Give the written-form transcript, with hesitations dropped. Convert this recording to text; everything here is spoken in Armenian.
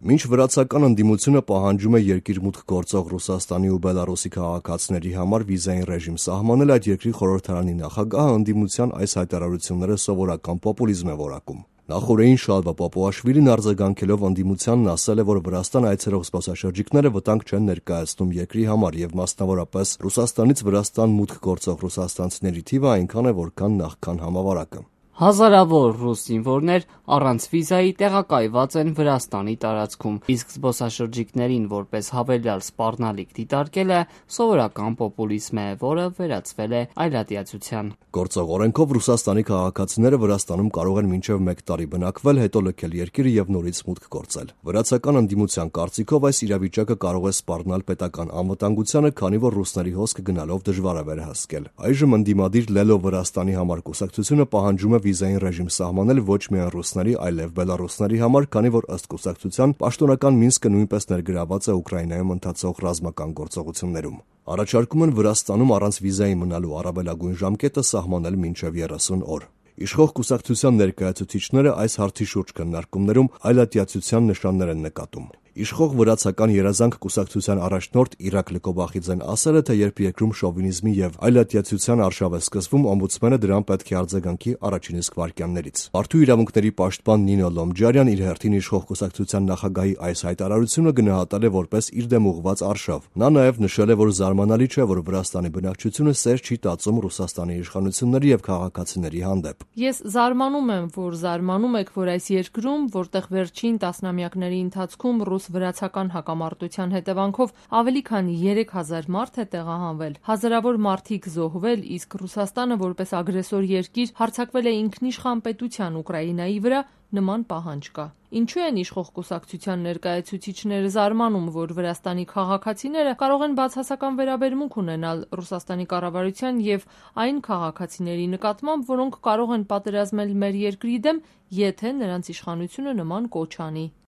Մինչ վրացական ընդդիմությունը պահանջում է երկիր մուտք գործող Ռուսաստանի ու Բելարուսի քաղաքացիների համար վիզային ռեժիմ սահմանել, այդ երկրի խորհրդարանի նախագահը ընդդիմության այս հայտարարությունները սովորական պոպուլիզմ է որակում։ Նախօրեին Շալվա Պապուաշվիլին արձագանքելով ընդդիմությանն ասել է, որ Վրաստան այցելող զբոսաշրջիկները վտանգ չեն ներկայացնում երկրի համար եւ մասնավորապես Ռուսաստանից Վրաստան մուտք գործող ռուսաստանցիների թիվը այնքան է, որքան նախքան համավարակը։ Հազարավոր ռուս զինվորներ առանց վիզայի տեղակայված են Վրաստանի տարածքում, իսկ զբոսաշրջիկներին որպես հավելյալ սպառնալիք դիտարկելը սովորական պոպուլիզմ է, որը վերածվել է այլատիացության։ Գործող օրենքով Ռուսաստանի քաղաքացիները Վրաստանում կարող են մինչև 1 տարի բնակվել, հետո լքել երկիրը եւ նորից մուտք գործել։ Վրացական ընդդիմության կարծիքով այս իրավիճակը կարող է սպառնալ պետական անվտանգությանը, քանի որ ռուսների հոսքը գնալով դժվար է վերահսկել։ Այժմ ընդդիմադիր Լելո Վրաստանի համար կուսակցությունը պահանջում է վիզային ռեժիմ սահմանել ոչ միայն ռուսների, այլև բելարուսների համար, քանի որ ըստ կուսակցության պաշտոնական Մինսկը նույնպես ներգրաված է Ուկրաինայում ընթացող ռազմական գործողություններում։ Առաջարկում են Վրաստանում առանց վիզայի մնալու առավելագույն ժամկետը սահմանել մինչև 30 օր։ Իշխող կուսակցության ներկայացուցիչները այս հարցի շուրջ քննարկումներում այլատիացության նշաններ են նկատում։ Իշխող վրացական երազանք կուսակցության առաջնորդ Իրակ Լկոբախիձեն ասել է, թե երբ երկրում շովինիզմի եւ այլատիացության արշավ է սկսվում, օմբուդսմենը դրան պետք է արձագանքի առաջին իսկ վայրկյաններից։ Մարդու իրավունքների պաշտպան Նինո Լոմջարյան իր հերթին իշխող կուսակցության նախագահի այս հայտարարությունը գնահատել է որպես իր դեմ ուղղված արշավ։ Նա նաեւ նշել է, որ զարմանալի չէ, որ Վրաստանի բնակչությունը սեր չի տածում Ռուսաստանի իշխանությունների եւ քաղաքացիների հանդեպ։ Ես զարմանում եմ, որ զարմանում եք, որ այս երկրում, որտեղ վերջին տասնամյակների ընթացքում ռուս-վրացական հակամարտության հետևանքով ավելի քան 3000 մարդ է տեղահանվել, հազարավոր մարդիկ զոհվել, իսկ Ռուսաստանը որպես ագրեսոր երկիր հարձակվել է ինքնիշխան պետության Ուկրաինայի վրա, նման պահանջ կա։ Ինչու են իշխող կուսակցության ներկայացուցիչները զարմանում, որ Վրաստանի քաղաքացիները կարող են բացասական վերաբերմունք ունենալ Ռուսաստանի կառավարության եւ այն քաղաքացիների նկատմամբ, որոնք կարող են պատերազմել մեր երկրի դեմ, եթե նրանց իշխանությունը նման կոչ անի։